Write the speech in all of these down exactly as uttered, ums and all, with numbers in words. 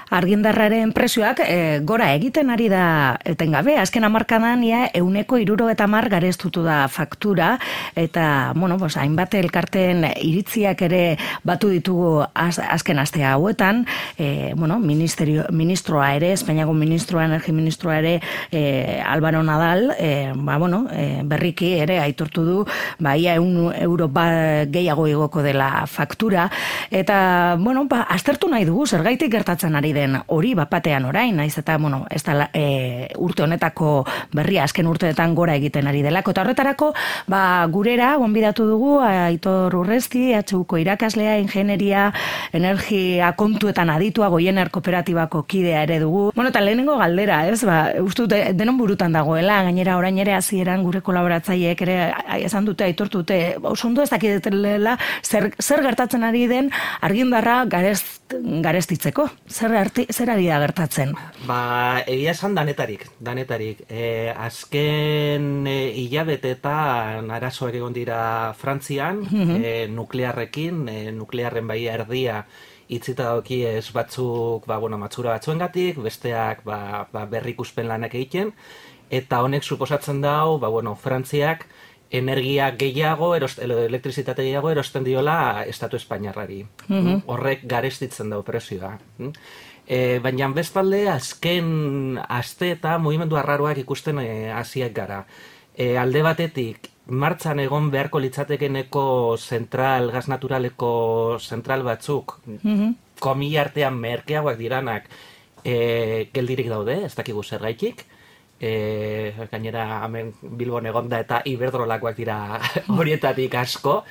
Argindarraren prezioak e, gora egiten ari da etengabe. Azken hamarkadan ia ehuneko hirurogeita hamar gareztutu da faktura eta bueno, pues, hainbat elkarteen iritziak ere batu ditugu az, azken aste hauetan. E, bueno, ministerio, ministroa ere, Espainiako ministroa, energi ministroa ere, e, Álvaro Nadal, e, ba, bueno, e, berriki ere aitortu du, ba, ia ehun euro ba, gehiago igoko dela faktura. Eta, bueno, ba, aztertu nahi dugu, zergaitik gertatzen ari den hori bapatean orain, naiz eta, bueno, ez da e, urte honetako berria, azken urteetan gora egiten ari delako. Eta horretarako, ba, gurera, gonbidatu dugu, Aitor Urresti, H Uko irakaslea, ingenieria, energia kontuetan aditua, Goiener kooperatibako kidea ere dugu. Bueno, eta lehenengo galdera, ez, ba, uste dute, denon burutan dagoela, gainera orain ere hasieran gure kolaboratzaileek ere esan dute, aitortu dute, oso ondo ez dakidetela, zer, zer gertatzen ari den argindarra garest, garestitzeko. Zer, arti, zer ari da gertatzen? Ba, egia esan danetarik, danetarik. E, azken e, hilabetetan arazoak egon dira Frantzian, mm-hmm. e, nuklearrekin, e, nuklearren bai erdia itzita doki ez batzuk, ba, bueno, matxura batzuengatik, besteak ba, ba, berrikuspen lanak egiten, eta honek suposatzen dau, ba, bueno, Frantziak energia gehiago, erost, elektrizitate gehiago erosten diola Estatu Espainiarrari. Mm-hmm. Horrek garestitzen dau prezioa. E, baina bestalde, azken aste eta mugimendu arraroak ikusten hasiak e, gara. E, alde batetik, martxan egon beharko litzatekeneko zentral, gas naturaleko zentral batzuk, mm-hmm. komila artean merkeagoak diranak e, geldirik daude, ez dakigu zergaitik. E, gainera hemen Bilbon egonda eta Iberdrolakoak dira horietatik asko.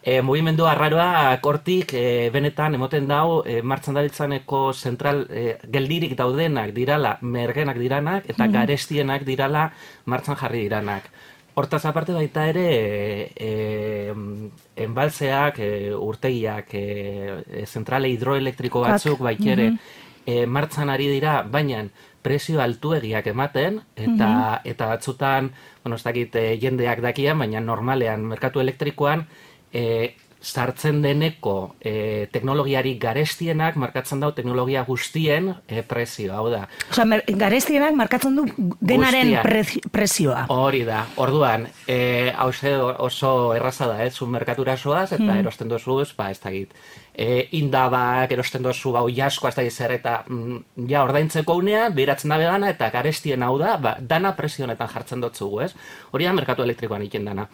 E, mugimendu arraroa hortik e, benetan emoten dau e, martxan dabiltzaneko zentral e, geldirik daudenak dirala mergenak diranak eta mm-hmm. garestienak dirala martxan jarri diranak. Hortaz aparte baita ere e, enbaltzeak, e, urtegiak, e, zentrale hidroelektriko batzuk baitere mm-hmm. e, martxan ari dira, baina prezio altuegiak ematen, eta, mm-hmm. eta batzutan, bueno, ez dakit e, jendeak dakian, baina normalean, merkatu elektrikoan, e, sartzen deneko e, teknologiari garestienak markatzen dau teknologia guztien e, prezioa, hau da. Osa, garestienak markatzen du denaren prezioa. Hori da, orduan, e, hause oso erraza da, ez, un merkatura soaz, eta mm. erosten dozuz, ba, ez dakit. E, indabak, erosten dozu, bau jasko, ez dakit zer, eta mm, ja, ordaintzeko unean, behiratzen dabe dana, eta garestien hau da, ba, dana prezionetan jartzen dotzugu, ez? Hori da, merkatu elektrikoan iken dana.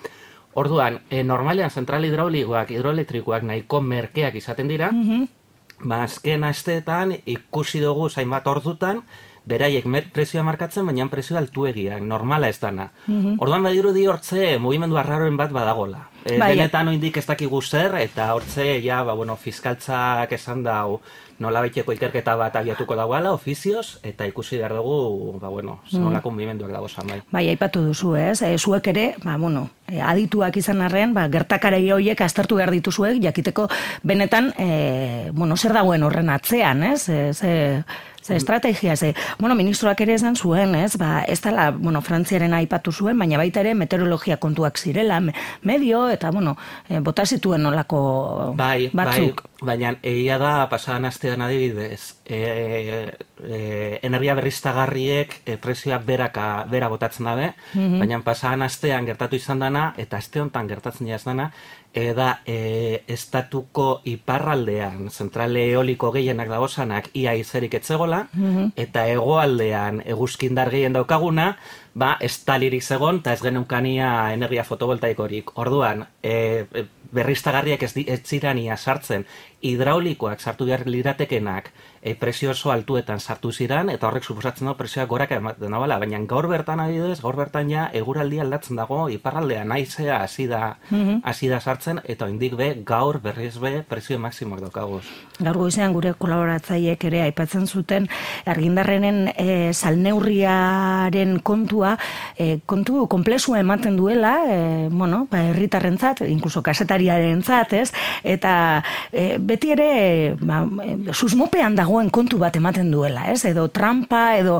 Orduan, e, normalean zentral hidraulikoak, hidroelektrikoak nahiko merkeak izaten dira, mm-hmm. ba, azken asteetan ikusi dugu zainbat ordutan, beraiek prezioa markatzen, baina prezioa altuegiak, normala ez dana. Mm-hmm. Orduan badirudi hortze mugimendu arraroen bat badagola. E, benetan oindik ez dakigu zer, eta hortze, ja, ba, bueno, fiskaltzak esan dau, nola baiteko ikerketa bat abiatuko dagoela, ofizioz, eta ikusi behar dugu, ba, bueno, zenolako mm. mugimenduak dago zan bai. Bai, aipatu duzu, ez? E, zuek ere, ba, bueno, e, adituak izan arren, ba, gertakarei horiek aztertu behar dituzuek, jakiteko benetan, e, bueno, zer dagoen horren atzean, ez? E, ze, ze estrategia, ze, bueno, ministroak ere esan zuen, ez? Ba, ez dela, bueno, Frantziaren aipatu zuen, baina baita ere meteorologia kontuak zirela, me, medio, eta, bueno, e, bota zituen nolako bai, batzuk. Bai, baina egia da, pasadan astean adibidez, e, e, energia berriztagarriek e, prezioak beraka, bera botatzen dabe, mm-hmm. baina pasadan astean gertatu izan dana, eta aste honetan gertatzen jaz dana, eda e, estatuko iparraldean, zentrale eoliko gehienak dagozanak, ia izerik etzegola, mm-hmm. eta hegoaldean eguzkindar gehien daukaguna, ba, ez talirik zegon, eta ez geneukania energia fotovoltaikorik. Orduan, e, berriztagarriak ez, ez zirania sartzen, hidraulikoak sartu behar liratekenak, e, prezio oso altuetan sartu ziran, eta horrek suposatzen dago prezioak goraka ematen dabala, baina gaur bertan adibidez, gaur bertan ja eguraldia aldatzen dago, iparraldean naizea hasi da, mm-hmm. hasi da sartzen, eta oindik be, gaur berriz be, prezio maksimoak daukaguz. Gaur goizean gure kolaboratzaileek ere aipatzen zuten, argindarrenen e, salneurriaren kontua, e, kontu komplexua ematen duela, e, bueno, ba, herritarrentzat, inkluso kasetariarentzat, ez? Eta e, beti ere ba, susmopean dagoen kontu bat ematen duela, ez? Edo trampa, edo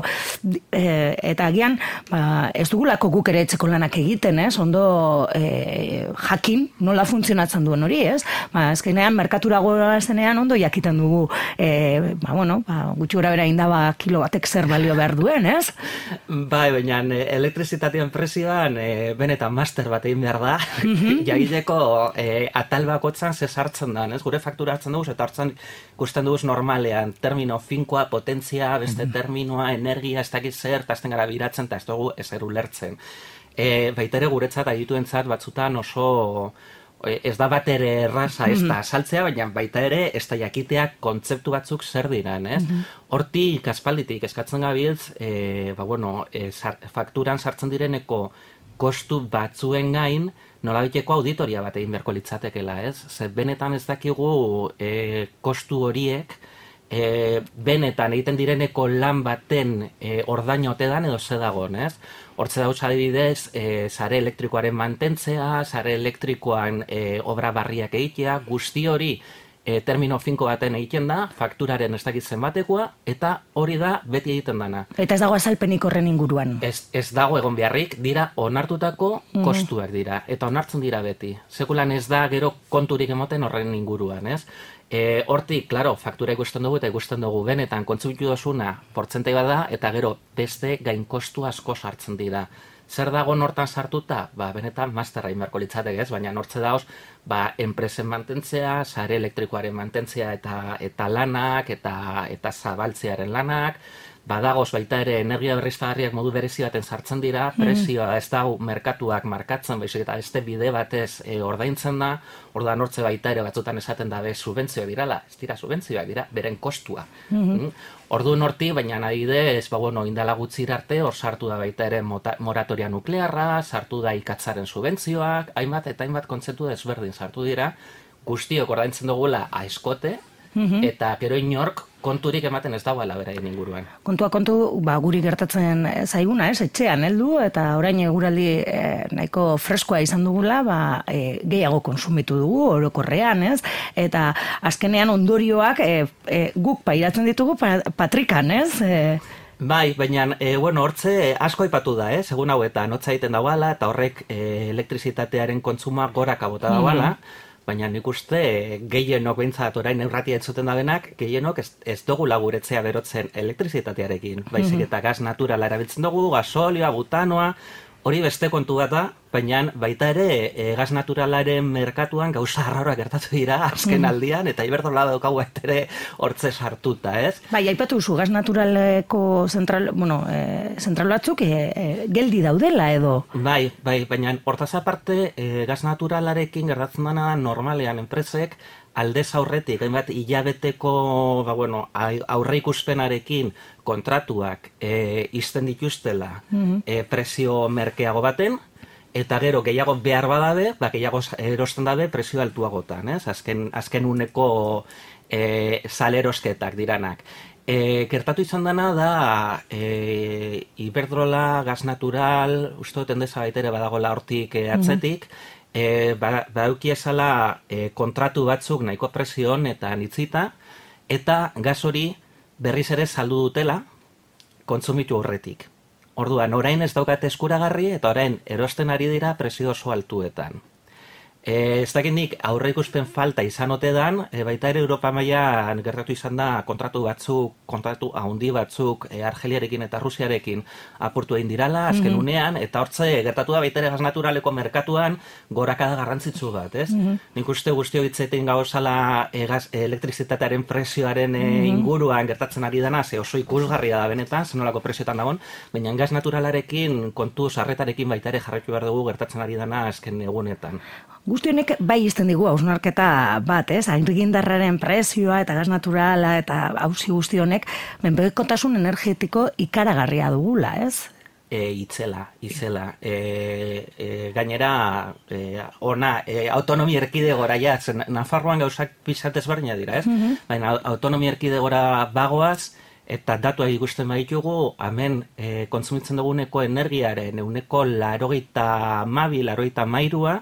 e, eta agian ba, ez dugulako guk ere etxeko lanak egiten, ez? Ondo e, jakin nola funtzionatzen duen hori, ez? Ba, azkenean, merkatura goa zenean ondo jakiten dugu, e, ba, bueno, ba, gutxi gora bera indaba kilo batek zer balio behar duen, ez? Bai, baina elektrizitatean presioan e, benetan master bat egin behar da, mm-hmm. jagileko e, atal bakotzan ze sartzen da, ez? Gure faktura hartzen dugu, eta hartzen ikusten dugu normalean, termino finkoa, potentzia, beste mm-hmm. terminoa, energia, ez dakit zer, eta azten gara biratzen, eta ez dugu ezer ulertzen. E, baita ere guretzat, adituentzat batzutan oso ez da bat ere erraza ez da saltzea, baina baita ere ez da jakiteak kontzeptu batzuk zer diran, ez? Hortik, aspalditik, eskatzen gabiltz, e, ba, bueno, e, sar, fakturan sartzen direneko kostu batzuen gain, nolabiteko auditoria bat egin beharko litzatekela, ez? Zer benetan ez dakigu e, kostu horiek, e, benetan egiten direneko lan baten e, ordaino ote dan edo ze dagoen, ez? Hortze dauz adibidez, e, sare elektrikoaren mantentzea, sare elektrikoan e, obra barriak egitea, guzti hori e, termino finko baten egiten da, fakturaren ez dakitzen batekoa, eta hori da beti egiten dana. Eta ez dago azalpenik horren inguruan? Ez, ez dago egon beharrik, dira onartutako mm. kostuak dira, eta onartzen dira beti. Sekulan ez da gero konturik emoten horren inguruan, ez? E, hortik, klaro, faktura ikusten dugu eta ikusten dugu benetan kontsumitu dozuna portzentai bat da, eta gero beste gain kostu asko sartzen dira. Zer dago nortan sartuta? Ba, benetan masterra inberko litzatek ez, baina nortze dauz, ba, enpresen mantentzea, sare elektrikoaren mantentzea eta eta lanak, eta eta zabaltzearen lanak, badagoz baita ere energia berriztagarriak modu berezi baten sartzen dira, presioa ez dago merkatuak markatzen, baizik eta beste bide batez e, ordaintzen da, orduan hortze baita ere batzutan esaten dabe subentzioa dirala, ez dira subentzioak dira, beren kostua. Mm-hmm. Orduan horti, baina adibidez, ba, bueno, indala gutxira arte, hor sartu da baita ere mota, moratoria nuklearra, sartu da ikatzaren subentzioak, hainbat eta hainbat kontzeptu desberdin sartu dira, guztiok ordaintzen dugula aizkote, mm-hmm. eta gero inork konturik ematen ez dagoela beraien inguruan. Kontua kontu, ba, guri gertatzen zaiguna, ez, etxean heldu, eta orain eguraldi e, nahiko freskoa izan dugula, ba, e, gehiago konsumitu dugu, orokorrean, ez, eta azkenean ondorioak e, e, guk pairatzen ditugu pa, patrikan, ez, e, Bai, baina, e, bueno, hortze asko aipatu da, eh? Segun hauetan, hotza egiten dagoela, eta horrek e, elektrizitatearen kontsuma goraka bota dagoela, mm-hmm. baina nik uste gehienok behintzat orain eurratia entzuten da denak, gehienok ez, ez dugula guretzea berotzen elektrizitatearekin. Baizik eta gaz naturala erabiltzen dugu, gasolioa, butanoa, hori beste kontu bat da, baina baita ere e, gaz naturalaren merkatuan gauza arraroak gertatu dira azken aldian, eta iberdola daukagu ere hortze sartuta, ez? Bai, aipatu zu, gaz naturaleko zentral, bueno, e, zentral batzuk e, e, geldi daudela edo? Bai, bai, baina hortaz aparte e, gaz naturalarekin gertatzen dena normalean enpresek, aldez aurretik, hainbat hilabeteko ba, bueno, aurre ikuspenarekin kontratuak e, izten dituztela mm-hmm. e, presio merkeago baten, eta gero gehiago behar badabe, ba, gehiago erosten dabe presio altuagotan, ez? Azken, azken uneko e, salerosketak diranak. E, gertatu izan dena da e, Iberdrola, gas natural, uste dut endesa baitere badagola hortik e, atzetik, mm-hmm. E, badauki esala e, kontratu batzuk nahiko presion eta nitzita, eta gas hori berriz ere saldu dutela kontsumitu horretik. Orduan, orain ez daukate eskuragarri eta orain erosten ari dira presio oso altuetan. E, ez dakit nik aurre ikuspen falta izan ote dan, e, baita ere Europa mailan gertatu izan da kontratu batzuk, kontratu handi batzuk e, Argeliarekin eta Rusiarekin apurtu egin dirala, azken mm-hmm. unean, eta hortze gertatu da baita ere gas naturaleko merkatuan gorakada garrantzitsu bat, ez? Mm-hmm. Nik uste guztio hitzetin gauzala e, gas, e, elektrizitatearen presioaren e, mm-hmm. inguruan gertatzen ari dena, ze oso ikusgarria da benetan, zenolako presioetan dagoen, baina gas naturalarekin, kontu sarretarekin baita ere jarraitu behar dugu gertatzen ari dena azken egunetan. Guzti honek bai izten digu hausnarketa bat, ez? Argindarraren prezioa eta gas naturala eta auzi guzti honek menpekotasun energetiko ikaragarria dugula, ez? E, itzela, itzela. E, e, gainera, e, ona, e, autonomia erkidegora ja, zen, Nafarroan gauzak pixatez berdina dira, ez? Mm-hmm. Baina autonomia erkidegora bagoaz, eta datuak ikusten baditugu, hemen e, kontsumitzen duguneko energiaren, euneko larogeita mabi, larogeita mairua,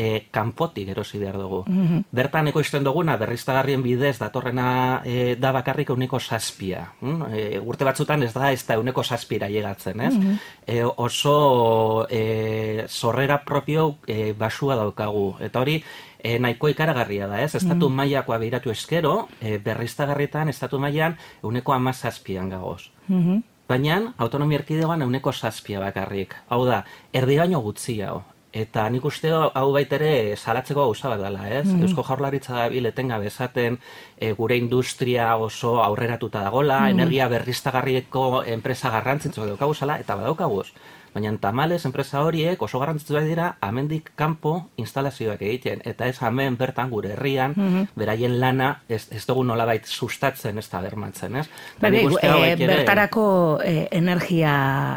e, kanpotik erosi behar dugu. Mm-hmm. Bertan ekoizten duguna, berriztagarrien bidez, datorrena e, da bakarrik euneko zazpia. Mm? E, urte batzutan ez da, ez da euneko zazpira llegatzen, ez? Mm-hmm. E, oso e, zorrera propio e, basua daukagu. Eta hori, E, nahiko ikaragarria da, ez? Estatu mm. mailakoa behiratu eskero, e, berriztagarrietan estatu mailan euneko amazazpian gagoz. Mm-hmm. Baina, autonomia erkidegoan euneko zazpia bakarrik. Hau da, erdi baino gutxi hau. Eta nik uste hau baitere salatzeko gauza bat dela, ez? Mm-hmm. Eusko Jaurlaritza da biletenga bezaten e, gure industria oso aurreratuta dagola, mm-hmm. energia berriztagarrieko enpresa garrantzitzu daukaguzala, eta badaukaguz. Baina tamales enpresa horiek oso garrantzitsuak dira amendik kanpo instalazioak egiten. Eta ez hemen bertan gure herrian, mm-hmm. beraien lana ez, ez dugu nolabait sustatzen ez da bermatzen, ez? Bebe, e, bertarako e, energia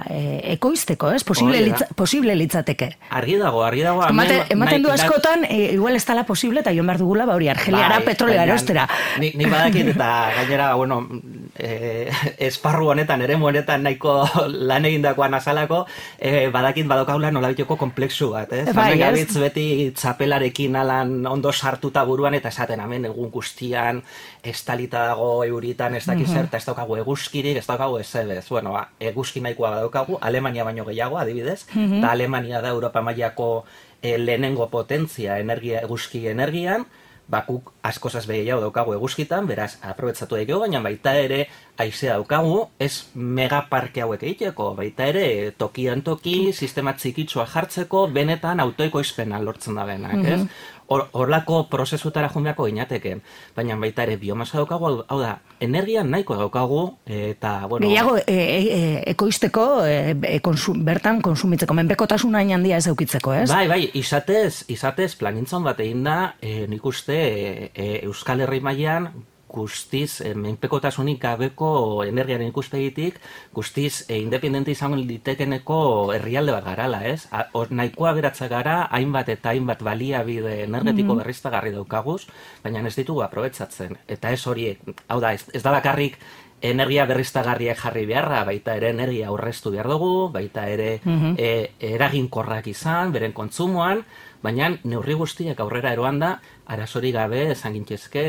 e, ekoizteko, ez? Posible, litza, posible litzateke. Argi dago, argi dago. Ematen, ematen du askotan, e, igual ez dala posible, eta joan behar dugula, ba hori, Argeliara bai, petrolea erostera. Nik ni badakit, eta gainera, bueno, e, esparru honetan, eremu honetan nahiko lan egindakoan azalako, E, badakit badokaula nolabiteko komplexu bat, ez? Bai, gabitz beti txapelarekin alan ondo sartuta buruan eta esaten hemen egun guztian estalita dago euritan ez dakiz zer, eta ez daukagu eguzkirik, ez daukagu ezebez. Bueno, ba, eguzki nahikoa badaukagu, Alemania baino gehiago, adibidez, eta Alemania da Europa mailako e, lehenengo potentzia energia, eguzki energian, bakuk askozaz behiago daukagu eguzkitan, beraz, aprobetzatu daikegu, baina baita ere haizea daukagu, ez megaparke hauek egiteko, baita ere tokian toki, sistema txikitsua jartzeko, benetan autoekoizpena lortzen da benak, ez? Mm-hmm. Horlako prozesutara junbeako inateken, baina baita ere biomasa daukagu, hau da, energia nahiko daukagu, eta, bueno... Gehiago, e, e, ekoizteko, e, konsum, bertan konsumitzeko, menpekotasun hain handia ez eukitzeko, ez? Bai, bai, izatez, izatez planintzon bat egin da, e, nik uste e, e, Euskal Herri mailan guztiz, e, menpekotasunik gabeko energiaren ikuspegitik, guztiz e, independente izango litekeneko herrialde bat garala, ez? A, or, nahikoa beratza gara, hainbat eta hainbat baliabide energetiko mm-hmm. berriztagarri daukaguz, baina ez ditugu aprobetsatzen. Eta ez horiek, hau da, ez, ez da bakarrik energia berriztagarriak jarri beharra, baita ere energia aurreztu behar dugu, baita ere mm-hmm. e, eraginkorrak izan, beren kontsumoan, baina neurri guztiak aurrera eroan da, arazori gabe esan gintzezke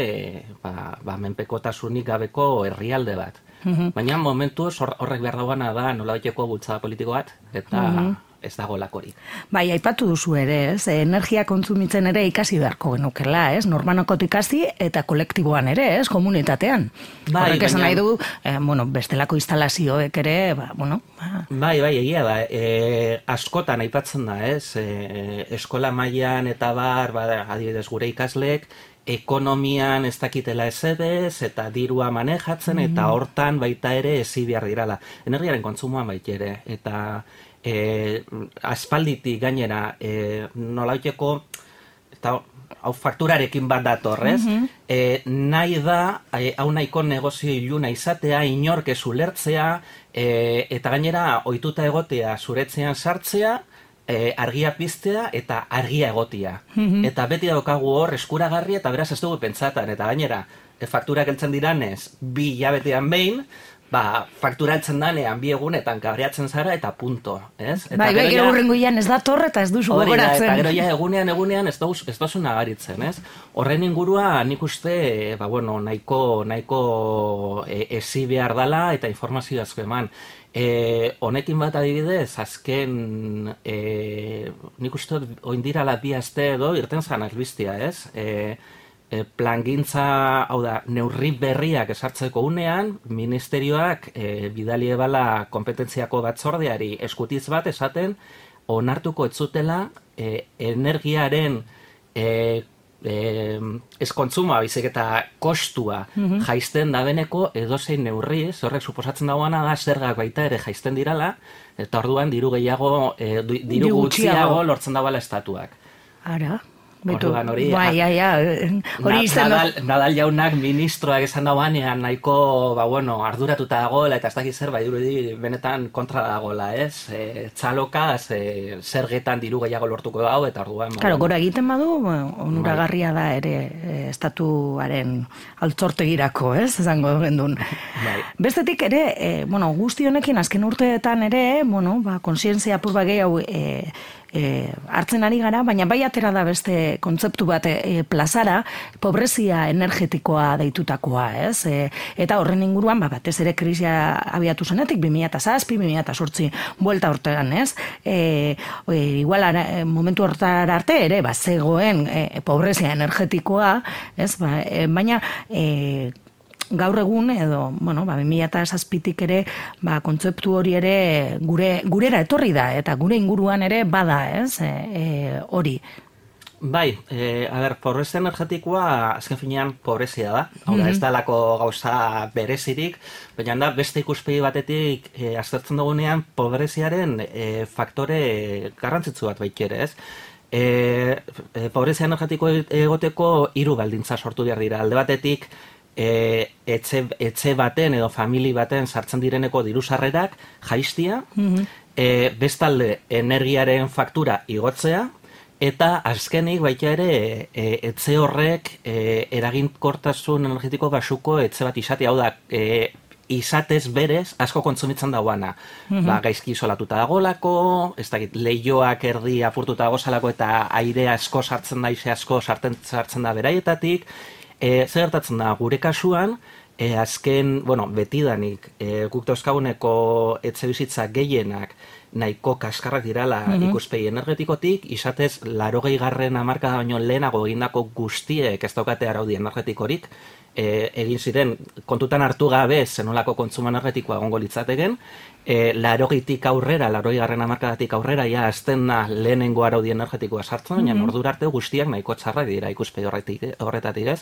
ba, ba, menpekotasunik gabeko herrialde bat. Mm-hmm. Baina momentuz horrek behar dagoena da nolabaiteko bultzada politiko bat, eta mm-hmm. ez dago lakorik. Bai, aipatu duzu ere, ez? Energia kontsumitzen ere ikasi beharko genukela, ez? Normanokot ikasi eta kolektiboan ere, ez? Komunitatean. Bai, horrek esan nahi du, eh, bueno, bestelako instalazioek ere, ba, bueno... Ba. Bai, bai, egia da. E, askotan aipatzen da, ez? E, eskola mailan eta bar, ba, adibidez gure ikasleek, ekonomian ez dakitela ezedez, eta dirua manejatzen, mm-hmm. eta hortan baita ere ezi behar dirala. Energiaren kontsumoan baita ere, eta... E, aspalditik gainera e, nolaiteko eta hau fakturarekin bat datorrez, mm-hmm. e, nahi da e, hau nahiko negozio iluna izatea, inork ez ulertzea, e, eta gainera ohituta egotea zuretzean sartzea, e, argia piztea eta argia egotia. Mm-hmm. Eta beti daukagu hor eskuragarri eta beraz ez dugu pentsatan, eta gainera e, fakturak heltzen diranez bi hilabetean behin, ba, fakturaltzen danean bi egunetan kabreatzen zara eta punto, ez? Eta bai, bai, gero hurrengoian ez da torre eta ez duzu gogoratzen. Eta gero ja egunean egunean ez dozu ez dozu nagaritzen, ez? Horren ingurua nik uste, ba, bueno, nahiko, nahiko e, ezi behar dala eta informazio asko eman. E, honekin bat adibidez, azken, e, nik uste oindirala bi aste edo irten zan albistia, ez? E, plangintza, hau da, neurri berriak esartzeko unean, ministerioak e, bidali ebala kompetentziako batzordeari eskutiz bat esaten, onartuko ez zutela e, energiaren e, e, ez kontsuma, baizik eta kostua mm-hmm. jaisten dabeneko edozein neurri, horrek suposatzen dagoena da zergak baita ere jaisten dirala, eta orduan diru gehiago, e, diru gutxiago lortzen dagoela estatuak. Ara. Betu, hori, bai, ja, ja, hori izan Nadal, Nadal jaunak ministroak esan dauanean nahiko, ba, bueno, arduratuta dagoela eta ez dakiz zer, ba, dirudi benetan kontra dagoela, ez? E, txalokaz, e, zergetan diru gehiago lortuko dago eta orduan... Claro, gora egiten badu, onuragarria da ere e, estatuaren altzortegirako, ez? Esango gendun. Bai. Bestetik ere, e, bueno, guzti honekin azken urteetan ere, bueno, ba, konsientzia apur bagei hau... E, e, hartzen ari gara, baina bai atera da beste kontzeptu bat e, plazara, pobrezia energetikoa deitutakoa, ez? E, eta horren inguruan, ba, batez ere krisia abiatu zenetik, bi mila zazpi, bi mila zortzi buelta hortean, ez? E, e, igual ara, momentu hortara arte ere, ba, zegoen e, pobrezia energetikoa, ez? Ba, e, baina e, gaur egun edo, bueno, ba, bi mila zazpitik ere, ba, kontzeptu hori ere gure, gurera etorri da, eta gure inguruan ere bada, ez? E, e, hori. Bai, e, a ber, pobrezia energetikoa azken finean pobrezia da. Hau da, ez da lako gauza berezirik, baina da beste ikuspegi batetik e, aztertzen dugunean pobreziaren e, faktore garrantzitsu bat baikere, ez? E, e, pobrezia energetiko egoteko hiru baldintza sortu behar dira. Alde batetik, E, etxe, etxe baten edo famili baten sartzen direneko dirusarrerak jaistia, mm-hmm. e, bestalde energiaren faktura igotzea, eta azkenik baita ere e, etxe horrek e, eraginkortasun energetiko basuko etxe bat izatea, hau da, e, izatez berez asko kontsumitzen dauana. Mm-hmm. Ba, gaizki isolatuta dagolako, ez dakit, lehioak erdi apurtuta dagozalako eta aire asko sartzen da, ize asko sartzen, sartzen da beraietatik. E, zer gertatzen da, gure kasuan, e, azken, bueno, betidanik, e, guk dauzkaguneko etxe bizitza gehienak nahiko kaskarrak dirala mm-hmm. ikuspegi energetikotik, izatez, larogei garren hamarkada baino lehenago egindako guztiek ez daukate araudi energetikorik, e, egin ziren, kontutan hartu gabe zenolako kontsumo energetikoa egongo litzateken, e, larogeitik aurrera, larogei garren hamarkadatik aurrera, ja, azten da lehenengo araudi energetikoa sartzen, baina mm-hmm. ordura arte guztiak nahiko txarrak dira ikuspegi horretatik, ez?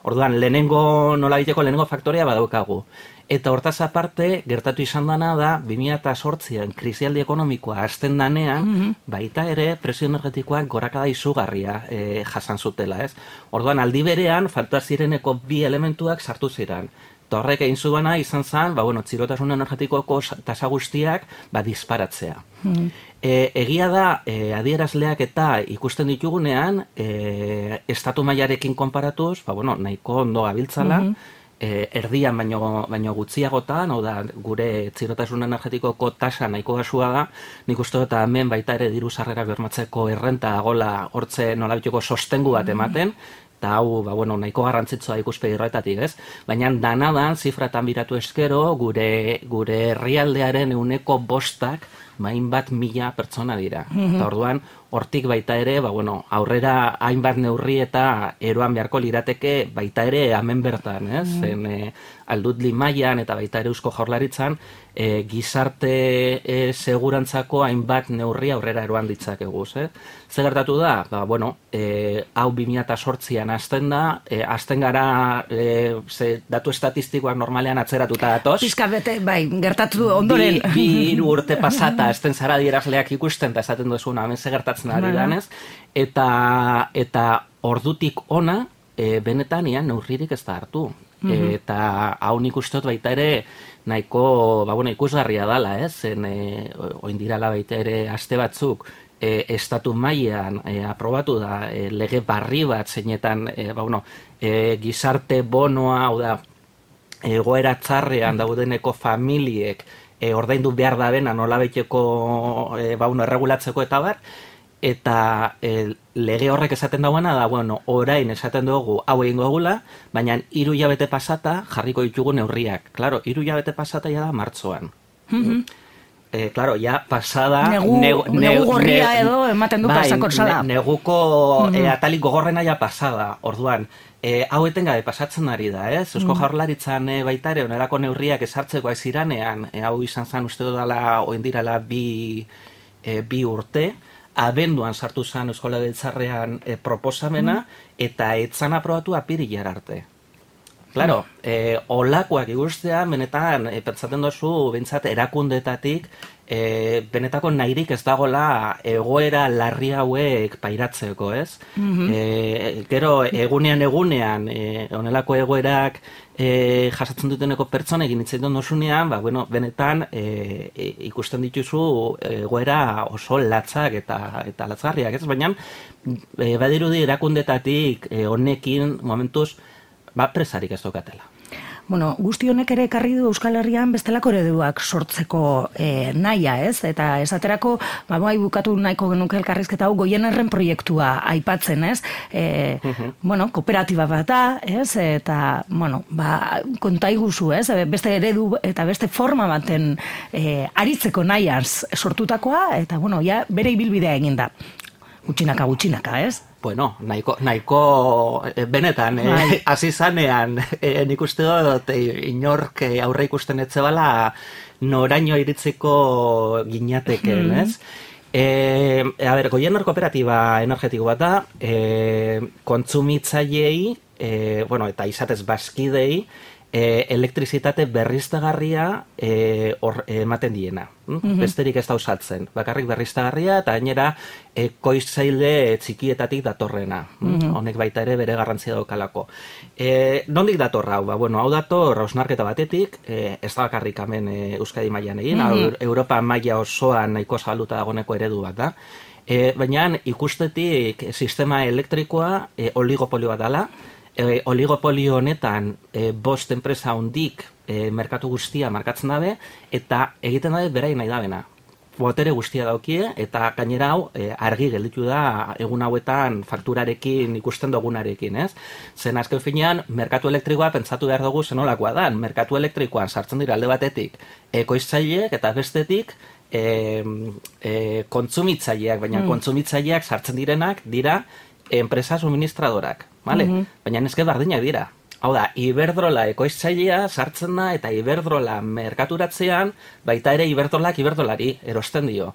Orduan, lehenengo, nola biteko lehenengo faktoria badaukagu. Eta hortaz aparte, gertatu izan dana da, bi mila zortzian krisialdi ekonomikoa hasten danean, mm-hmm. baita ere presio energetikoak gorakada izugarria e, jasan zutela, ez? Orduan, aldi berean, falta zireneko bi elementuak sartu ziren. Eta horrek egin zuena izan zen, ba, bueno, txirotasun energetikoko tasa guztiak ba, disparatzea. Mm-hmm. E, egia da, e, adierazleak eta ikusten ditugunean, e, estatu mailarekin konparatuz, ba, bueno, nahiko ondo gabiltzala, mm-hmm. E, erdian baino, baino gutxiagotan, hau da, gure txirotasun energetikoko tasa nahiko gasua da, nik uste dut hemen baita ere diru sarrerak bermatzeko errenta gola hortze nolabiteko sostengu bat ematen, eta hau, ba, bueno, nahiko garrantzitsua ikuspegi horretatik, ez? Baina danadan, zifratan biratu eskero, gure, gure herrialdearen ehuneko bostak, main bat mila pertsona dira. Mm-hmm. Eta orduan, hortik baita ere, ba, bueno, aurrera hainbat neurri eta eroan beharko lirateke baita ere hemen bertan, ez? Mm-hmm. Zen, e, aldut limaian eta baita ere Eusko Jaurlaritzan, e, gizarte e, segurantzako hainbat neurri aurrera eroan ditzakegu, ez? Zer gertatu da? Ba, bueno, e, hau bi mila zortzian hasten da, e, hasten gara e, ze datu estatistikoak normalean atzeratuta datoz. Pizka bete, bai, gertatu ondoren. Bi, bi hiru urte pasata, hasten zara adierazleak ikusten, eta esaten duzuena, hemen ze gertatzen ari danez, eta, eta ordutik ona, e, benetan ian neurririk ez da hartu. Mm-hmm. Eta hau nik ustot baita ere nahiko, ba, bueno, ikusgarria dala, ez? Zen, e, oindirala baita ere aste batzuk, e, estatu mailan e, aprobatu da e, lege barri bat zeinetan, e, ba, bueno, e, gizarte bonoa, hau da, egoera txarrean daudeneko familiek e, ordaindu behar da bena nolabaiteko e, ba, bueno, erregulatzeko eta bar, eta e, lege horrek esaten dauena da, bueno, orain esaten dugu hau egingo egula, baina hiru hilabete pasata jarriko ditugu neurriak. Claro, hiru hilabete pasata ja da martxoan. Mm-hmm. Eh, claro, ja pasada... Negu, negu, negu gorria negu, edo ematen du bai, pasakorzala. Ne, neguko mm-hmm. e, atalik gogorrena ja pasada, orduan. E, hau etengabe pasatzen ari da, ez? Eusko mm-hmm. Jaurlaritzan e, baita ere, onerako neurriak esartzeko aiziranean, e, hau izan zen uste dudala, oindirala bi, e, bi urte, abenduan sartu zen Eusko Legebiltzarrean e, proposamena, mm. eta etzan aprobatu apirilar arte. Claro, e, olakoak ikustea, benetan, e, pentsaten dozu, bentsat, erakundetatik, e, benetako nahirik ez dagola egoera larri hauek pairatzeko, ez? Mm-hmm. E, gero, egunean egunean, e, onelako egoerak e, jasatzen duteneko pertsonekin hitzaiten dozunean, ba, bueno, benetan e, e, ikusten dituzu egoera oso latzak eta, eta latzgarriak, ez? Baina, e, badirudi erakundetatik e, honekin momentuz, ba, presarik ez dokatela. Bueno, guzti honek ere ekarri du Euskal Herrian bestelako ereduak sortzeko e, naia, ez? Eta esaterako, ba, bai bukatu nahiko genuke elkarrizketa hau Goienerren proiektua aipatzen, ez? E, uh-huh. Bueno, kooperatiba bat da, ez? Eta, bueno, ba, konta iguzu, ez? Beste eredu eta beste forma baten e, aritzeko nahiaz sortutakoa, eta, bueno, ja, bere ibilbidea egin da. Gutxinaka, gutxinaka, ez? Bueno, nahiko, nahiko benetan, hasi eh, zanean, eh, nik uste dut eh, inork aurre ikusten etzebala noraino iritziko ginateken, mm. ez? Eh, a ber, Goiener kooperatiba energetiko bat da, eh, kontsumitzaileei, eh, bueno, eta izatez bazkidei, E, elektrizitate berriztagarria e, or, ematen diena. Mm-hmm. Besterik ez da usatzen. Bakarrik berriztagarria eta gainera ekoizzaile txikietatik datorrena. Mm-hmm. Honek baita ere bere garrantzia daukalako. E, nondik dator hau? Ba, bueno, hau dator hausnarketa batetik, e, ez da bakarrik hemen e, Euskadi mailan egin, mm-hmm. Europa maila osoan nahiko zaluta dagoeneko eredu bat da. E, baina ikustetik sistema elektrikoa e, oligopolio bat dela. E, oligopolio honetan e, bost enpresa hondik e, merkatu guztia markatzen dabe, eta egiten dabe beraien nahi dabena. Botere guztia daukie, eta gainera hau e, argi gelditu da egun hauetan fakturarekin ikusten dugunarekin, ez? Zen azken finean, merkatu elektrikoa pentsatu behar dugu zenolakoa da. Merkatu elektrikoan sartzen dira alde batetik ekoiztzaileek eta bestetik e, e, kontsumitzaileak, baina mm. kontsumitzaileak sartzen direnak dira enpresa suministradorak, vale? Mm-hmm. Baina neske bardinak dira. Hau da, Iberdrola ekoiztzailea sartzen da eta Iberdrola merkaturatzean baita ere Iberdrolak Iberdrolari erosten dio.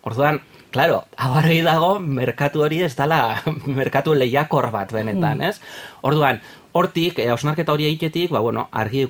Orduan, claro, hau argi dago merkatu hori ez dela merkatu lehiakor bat benetan, ez? Orduan, hortik, hausnarketa hori egitetik, ba, bueno, argi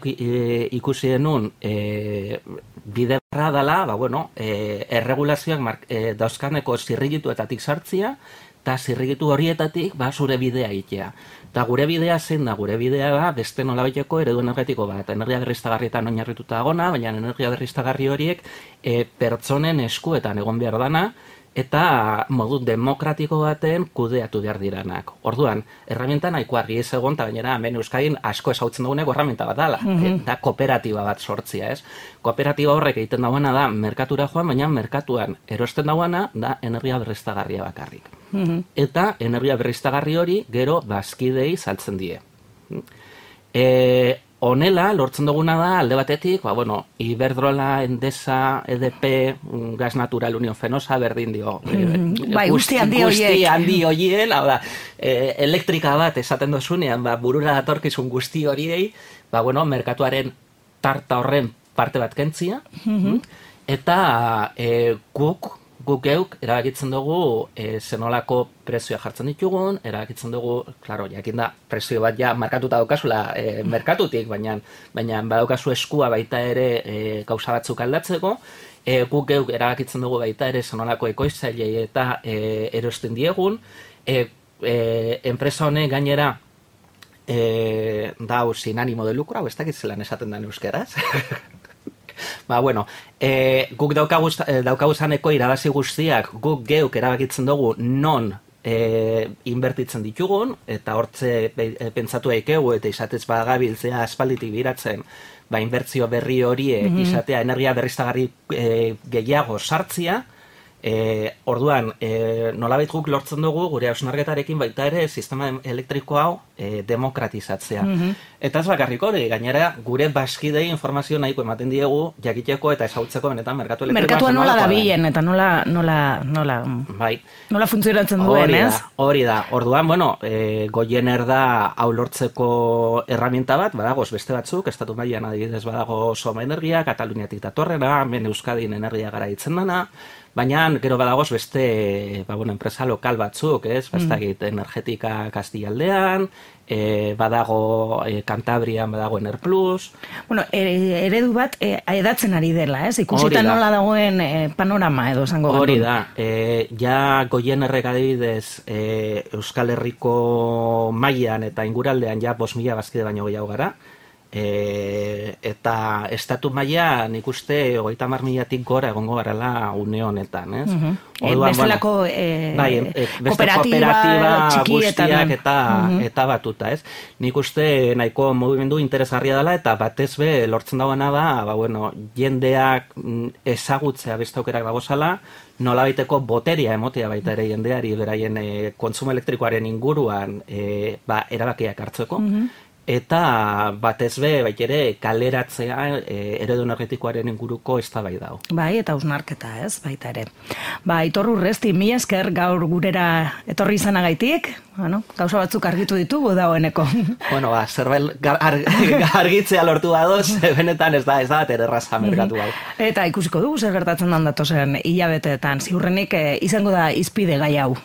ikusi denun e, bide barra dela, ba, bueno, e, erregulazioak e, dauzkaneko zirrigituetatik sartzia, eta zirrigitu horietatik ba, zure bidea egitea. Eta gure bidea zein da, gure bidea da beste nolabaiteko eredu energetiko bat. Energia berriztagarrietan oinarrituta dagona, baina energia berriztagarri horiek e, pertsonen eskuetan egon behar dana, eta modu demokratiko baten kudeatu behar diranak. Orduan, erramienta nahiko argi ez egon, eta gainera hemen Euskadin asko ezautzen duguneko erramienta bat dala, mm-hmm. eta kooperatiba bat sortzia, ez? Kooperatiba horrek egiten dagoena da merkatura joan, baina merkatuan erosten dagoena da energia berriztagarria bakarrik. Mm-hmm. Eta energia berriztagarri hori gero bazkidei saltzen die. E, honela, lortzen duguna da, alde batetik, ba, bueno, Iberdrola, Endesa, E D P, Gas Natural, Unión Fenosa, berdin dio. Mm-hmm. Bai, guzti handi horiek. Guzti handi horien, hau da, e, elektrika bat esaten dozunean, ba, burura datorkizun guzti horiei, ba, bueno, merkatuaren tarta horren parte bat kentzia, mm-hmm. eta e, guk, guk geuk erabakitzen dugu e, zenolako prezioa jartzen ditugun, erabakitzen dugu, klaro, jakin da, prezio bat ja markatuta daukazula e, merkatutik, baina, baina badaukazu eskua baita ere e, gauza batzuk aldatzeko, e, guk geuk erabakitzen dugu baita ere zenolako ekoiztzailei eta e, erosten diegun, e, e, enpresa honek gainera e, dau sin ánimo de lucro, hau ez dakit zelan esaten da euskeraz. Ba, bueno, e, guk daukaguz, daukaguzaneko irabazi guztiak guk geuk erabakitzen dugu non e, inbertitzen ditugun, eta hortze pentsatu eikegu eta izatez bagabiltzea aspalditik biratzen, ba, inbertzio berri horiek mm-hmm. izatea energia berriztagarri e, gehiago sartzia, e, orduan, e, nolabait guk lortzen dugu gure hausnarketarekin baita ere sistema elektriko hau e, demokratizatzea. Mm-hmm. Eta ez bakarrik hori, gainera gure bazkidei informazio nahiko ematen diegu jakiteko eta ezautzeko benetan merkatu elektrikoa. Merkatua nola dabilen eta nola, nola, nola, bai. nola funtzionatzen duen, ez? Hori da, orduan, bueno, e, Goiener da hau lortzeko erramienta bat, badagoz beste batzuk, estatu mailan adibidez badago Soma Energia, Kataluniatik datorrena, hemen Euskadin energia garaitzen dana, baina gero badagoz beste ba, bueno, enpresa lokal batzuk, ez? Bastakit, mm. Energetika Kastillaldean, e, badago e, Kantabrian badago Enerplus. Bueno, eredu bat e, edatzen ari dela, ez? Ikusita nola dagoen e, panorama edo esango gandun. Hori da, e, ja Goienerrek adibidez e, Euskal Herriko mailan eta inguraldean ja bost mila bazkide baino gehiago gara, E, eta estatu maila nik uste hogeita hamar milatik gora egongo garela une honetan, ez? Uh-huh. Orduan, bestelako bueno, e, bai, e, kooperatiba, guztiak eta, uh-huh. eta batuta, ez? Nik uste nahiko mugimendu interesgarria dela eta batez be lortzen dagoena da, ba, bueno, jendeak ezagutzea beste aukerak dagozala, nolabaiteko boteria emotea baita ere jendeari beraien e, kontsumo elektrikoaren inguruan e, ba, erabakiak hartzeko, uh-huh. eta batez be, bai ere, kaleratzea e, eredu energetikoaren inguruko eztabaida dago. Bai, eta hausnarketa, ez, baita ere. Ba, Aitor Urresti, mila esker gaur gurera etorri izanagaitik, bueno, gauza batzuk argitu ditugu dagoeneko. Bueno, ba, zerbait gar, ar, argitzea lortu badoz, benetan ez da, ez da, erraza merkatu hau. Eta ikusiko dugu zer gertatzen dan datozen hilabeteetan, ziurrenik e, izango da izpide gai hau.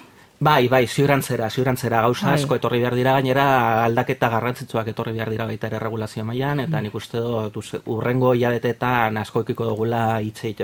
Bai, bai, ziurantzera, ziurantzera gauza asko etorri behar dira, gainera aldaketa garrantzitsuak etorri behar dira baita ere regulazio mailan, eta nik uste dut urrengo hilabeteetan asko ekiko dugula hitz egiteko.